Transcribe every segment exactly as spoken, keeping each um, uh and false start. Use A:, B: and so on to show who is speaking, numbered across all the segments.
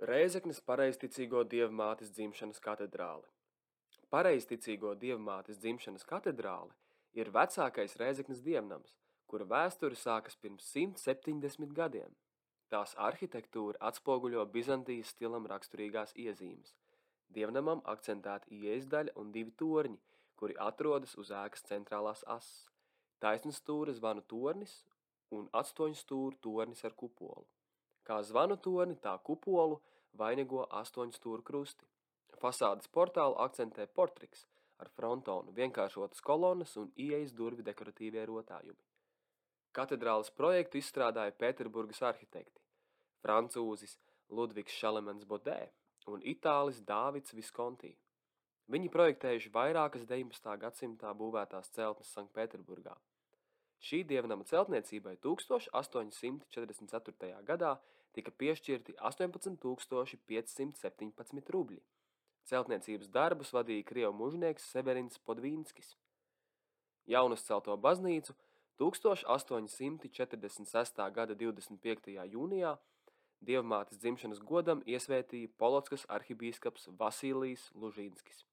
A: Rēzeknes pareizticīgo dievmātes dzimšanas katedrāle. Pareizticīgo dievmātes dzimšanas katedrāle ir vecākais Rēzeknes dievnams, kura vēsture sākas pirms simt septiņdesmit gadiem. Tās arhitektūra atspoguļo Bizantijas stilam raksturīgās iezīmes. Dievnamam akcentēta ieejas daļa un divi torņi, kuri atrodas uz ēkas centrālās asas. Taisnstūra zvanu tornis un astoņstūra tornis ar kupolu. Kā zvanu torni, tā kupolu vainago astoņstūra krusti. Fasādes portālu akcentē portriks ar frontonu, vienkāršotas kolonas un ieejas durvi dekoratīvie rotājumi. Katedrāles projektu izstrādāja Pēterburgas arhitekti, francūzis Ludvigs Šalemans Bodē un itālis Dāvids Viskonti. Viņi projektējuši vairākas deviņpadsmitā gadsimtā būvētās celtnes Sanktpēterburgā. Šī dievnama celtniecībai tūkstoš astoņi simti četrdesmit ceturtajā gadā tika piešķirti astoņpadsmit tūkstoši pieci simti septiņpadsmit rubļi. Celtniecības darbus vadīja krievu mužnieks Severins Podvīnskis. Jaunuzcelto baznīcu tūkstoš astoņi simti četrdesmit sestā gada divdesmit piektajā jūnijā dievmātes dzimšanas godam iesvētīja Polotskas arhibīskaps Vasilijs Lužīnskis.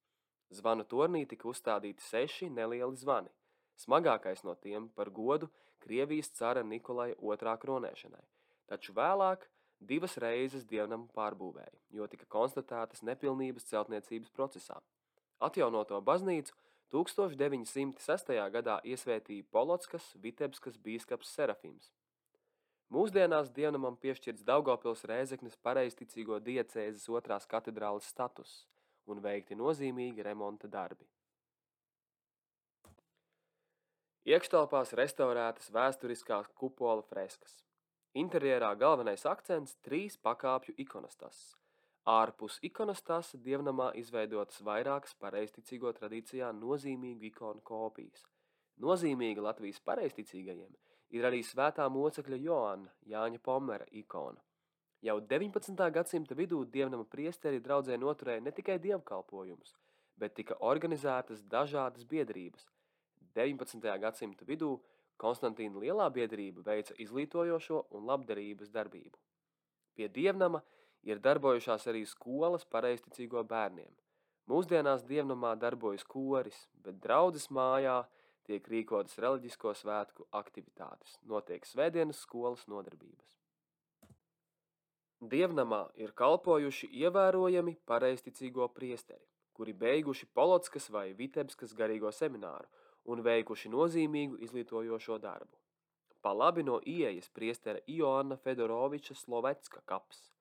A: Zvanu tornī tika uzstādīti seši nelieli zvani, smagākais no tiem par godu Krievijas cara Nikolaja otrā kronēšanai, taču vēlāk divas reizes dievnamu pārbūvēja, jo tika konstatētas nepilnības celtniecības procesā. Atjaunoto baznīcu tūkstoš deviņi simti sestajā gadā iesvētīja Polotskas Vitebskas bīskaps Serafims. Mūsdienās dievnamam piešķirts Daugavpils Rēzeknes pareizticīgo diecēzes otrās katedrāles status un veikti nozīmīgi remonta darbi. Iekštelpās restaurētas vēsturiskās kupola freskas. Interjerā galvenais akcents trīs pakāpju ikonostasas. Ārpus ikonostasa dievnamā izveidotas vairākas pareizticīgo tradīcijā nozīmīgu ikonu kopijas. Nozīmīga Latvijas pareizticīgajiem ir arī svētā mocekļa Joanna Jāņa Pomera ikona. Jau deviņpadsmitā gadsimta vidū dievnama priesteri draudzē noturēja ne tikai dievkalpojumus, bet tika organizētas dažādas biedrības. deviņpadsmitajā gadsimta vidū Konstantīna Lielā biedrība veica izglītojošo un labdarības darbību. Pie dievnama ir darbojušās arī skolas pareizticīgo bērniem. Mūsdienās dievnamā darbojas koris, bet draudzes mājā tiek rīkotas reliģisko svētku aktivitātes, notiek svētdienas skolas nodarbības. Dievnamā ir kalpojuši ievērojami pareizticīgo priesteri, kuri beiguši Polotskas vai Vitebskas garīgo semināru un veikuši nozīmīgu izglītojošo darbu. Pa labi no ieejas priestera Ioanna Fedoroviča Slovecka kaps.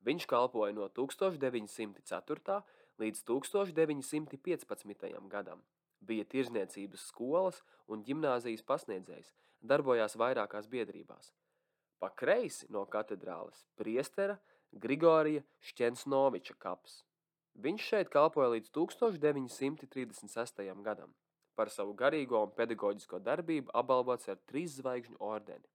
A: Viņš kalpoja no tūkstoš deviņi simti ceturtā līdz tūkstoš deviņi simti piecpadsmitajam gadam. Bija tirzniecības skolas un ģimnāzijas pasniedzējs, darbojās vairākās biedrībās. Pa kreisi no katedrāles priestera Grigorija Šķensnoviča kaps. Viņš šeit kalpoja līdz tūkstoš deviņi simti trīsdesmit sestajam gadam. Par savu garīgo un pedagoģisko darbību apbalvots ar trīs zvaigžņu ordeni.